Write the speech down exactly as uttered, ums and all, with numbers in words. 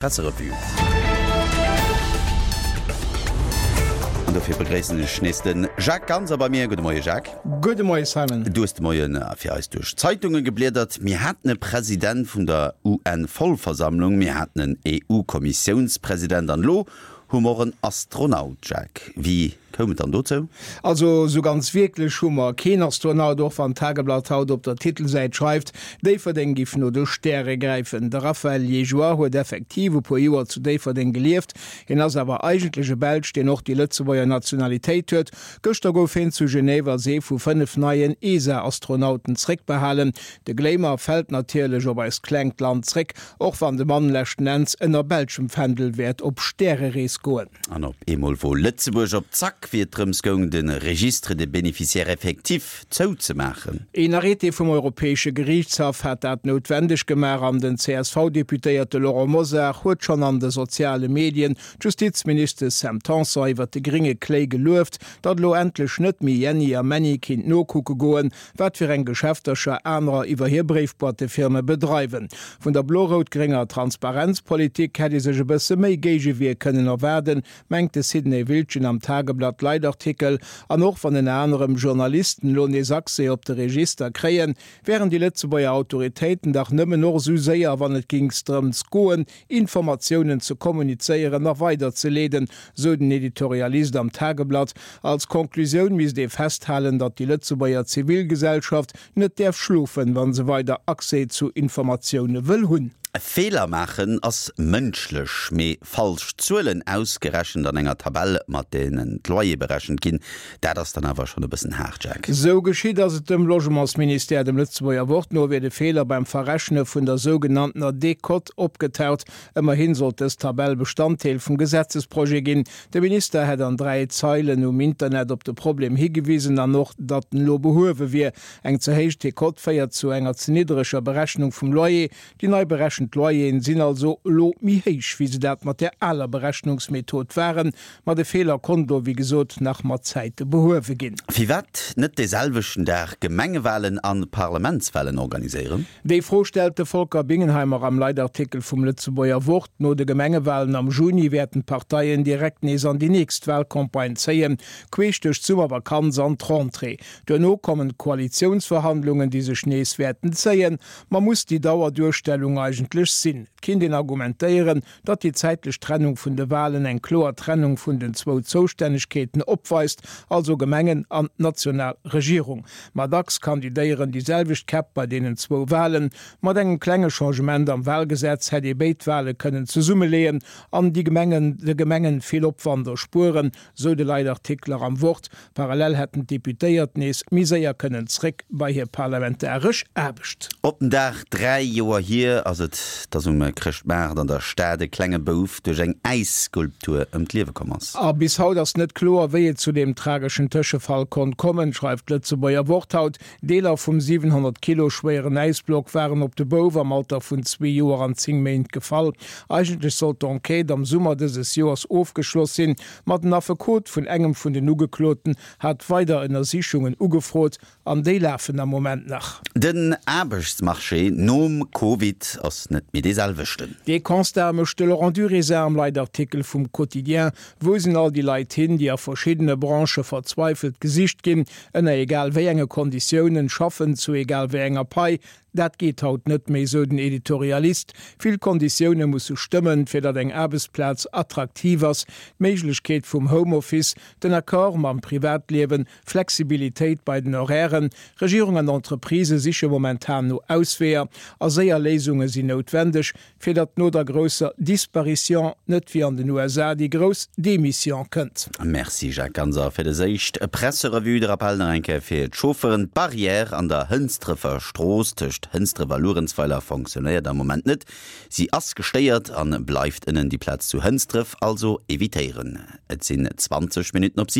Presserevue. An dofir begréissen ech nees de Jacques Ganser bei mir. Gudde Moie Jacques. Gudde Moie Simon. Du hues de Moie fir eis duerch d'Zeitunge gebliedert. Mir haten e President vun der UN-Vollversammlung, mir haten en EU-Kommissiounspresident an elo hu mer och en Astronaut, Jacques. Wéi koum et dann dozou? Also esou ganz wierklech hu mer keen Astronaut, och wann d'Tageblatt haut op der Titelsäit schreift, Déifferdeng giff no de Stäre gräifen. De Raphaël Liégeois huet effektiv e puer Joer zu Déifferdeng gelieft. Hien ass awer eigentlech e Belsch, deen och déi Lëtzebuerger Nationalitéit huet. Gëschter gouf hien zu Genève als ee vu fënnef neien ESA-Astronauten zréckbehalen. De Glamour fält natierlech op eist klengt Land zréck, och wann de Mann leschten Enns ënner belschem Fändel wäert op Stärerees goen. An op eemol wor Lëtzebuerg op Zack, wéi et drëms goung, de Registre des bénéficiaires effectifs zouzemaachen. Een Arrêté vum Europäesche Geriichtshaff hat dat noutwendeg gemaach an den C S V-Deputéierte Laurent Mosar huet schonn an de soziale Medien d'Justizministesch Sam Tanson iwwer de grénge Kléi gelueft, datt elo endlech net méi Jenni a Menni kinnt nokucke goen, wat fir eng Geschäftercher anerer iwwer hir Bréifboîtefirme bedreiwen. Vun der blo-rout-grénger Transparenzpolitik hätt ee sech e bësse méi Géigewier kënnen erwaarden, mengt de Sidney Wiltgen am Tageblatt-Leitartikel. An och wann ënner anerem Journalisten elo nees Accès op de Register kréien, wären déi Lëtzebuerger Autoritéiten dach nëmmen och esou séier, wann et géings drëms goen, Informatiounen ze kommunizéieren a weiderzeleeden, sou den Editorialist am Tageblatt. Als Konklusioun misst ee festhalen, datt déi Lëtzebuerger Zivilgesellschaft net däerf schlofen, wa se weider Accès zu Informatioune wëll hunn. Feeler maachen ass mënschlech, mee falsch Zuelen ausgerechent an enger Tabell, mat deenen d'Loyere berechent ginn, dat ass dann awer schonn e bëssen haart, Jacques. Sou geschitt ass et dem Logementsministère. Dem Lëtzebuerger Wort no wier de Feeler beim Verrechne vun der sougenanntener Décote opgetaucht. Ëmmerhin sollt dës Tabell Bestanddeel vum Gesetzesprojet ginn. De Minister hätt an dräi Zeilen um Internet op de Problem higewisen an och, datt en elo behuewe wier. Eng ze héich Décote féiert zu enger ze niddreger Berechnung vum Loyer. Déi nei berechent Loyeren sinn also elo méi héich, wéi se dat mat där aler Berechnungsmethod waren. Ma de Feeler konnt elo, wéi gesot, nach mat Zäite behuewe ginn. Firwat net dee selwechten Dag Gemengewalen a Parlamentswalen organiséieren? Déi Fro stellt de Volker Bingenheimer am Leitartikel vum Lëtzebuerger Wort. No de Gemengewalen am Juni wäerten d'Parteien direkt nees an déi nächst Walcampagne zéien, queesch duerch d'Summervakanz an d'Rentrée. Duerno kommen d'Koalitiounsverhandlungen, déi sech nees wäerten zéien. Ma muss déi Dauerduerstellung eigentlech sinn? Et kinnt een argumentéieren, datt déi zäitlech Trennung vun de Walen eng kloer Trennung vun den zwou Zoustännegkeeten opweist, also Gemengen an national Regierung. Ma dacks kandidéieren déi selwecht Käpp bei deenen zwou Walen. Mat engem klenge Changement am Walgesetz hätt ee béid Wale kënnen zesummeleeën an déi Gemengen de Gemengen vill Opwand erspueren, sou de Leitartikler am Wort. Parallel hätten d'Deputéiert nees méi séier kënnen zréck bei hir parlamentaresch Aarbecht. Op den Dag dräi Joer hier ass et, dass um Chrëschtmaart an der Stad e klenge Bouf duerch eng Äisskulptur ëm d'Liewe komm ass. A bis haut ass net kloer, wéi et zu deem trageschen Tëschefall konnt kommen, schreift d'Lëtzebuerger Wort haut. Deeler vum siwenhonnert Kilo schwéieren Äisblock waren op de Bouf am Alter vun zwee Joer an zéng Méint gefall. Eigentlech sollt d'Enquête am Summer dëses Joers ofgeschloss sinn, ma den Affekot vun engem vun den Ugekloten hat weider Ënnersichungen ugefrot an déi lafen am Moment nach. Den Aarbechtsmarché nom Covid ass net méi dee selwechten. Dee Constat mécht de Laurent Duriezard am Leitartikel vum Quotidien. Wou sinn all déi Leit hin, déi a verschiddene Branchë verzweifelt gesicht ginn, ënner egal wéi enge Konditiounen, schaffen, zu egal wéi enger Pai? Dat geet haut net méi, sou den Editorialist. Vill Konditioune musse stëmmen, fir datt eng Aarbechtsplaz attraktiv ass, d'Méiglechkeet vum Homeoffice, den Accord mam Privatliewen, Flexibilitéit bei den Horairen. Regierung an Entreprisë siche momentan no Ausweeër a séier Léisunge sinn noutwendeg, fir datt no der grousser Disparition net wéi an den U S A déi grouss Demission kënnt. Merci Jacques Ganser fir des éischt Presserevue. De Rappell nach eng Kéier fir d'Chaufferen, D'Barrière an der Hënsdrëfer Strooss tëscht Hënsdref a Luerenzweiler fonctionnéiert am Moment net. Si ass gestéiert an bleift ënnen. Déi Plaz zu Hënsdref also evitéieren. Et sinn zwanzeg Minutten op siwen.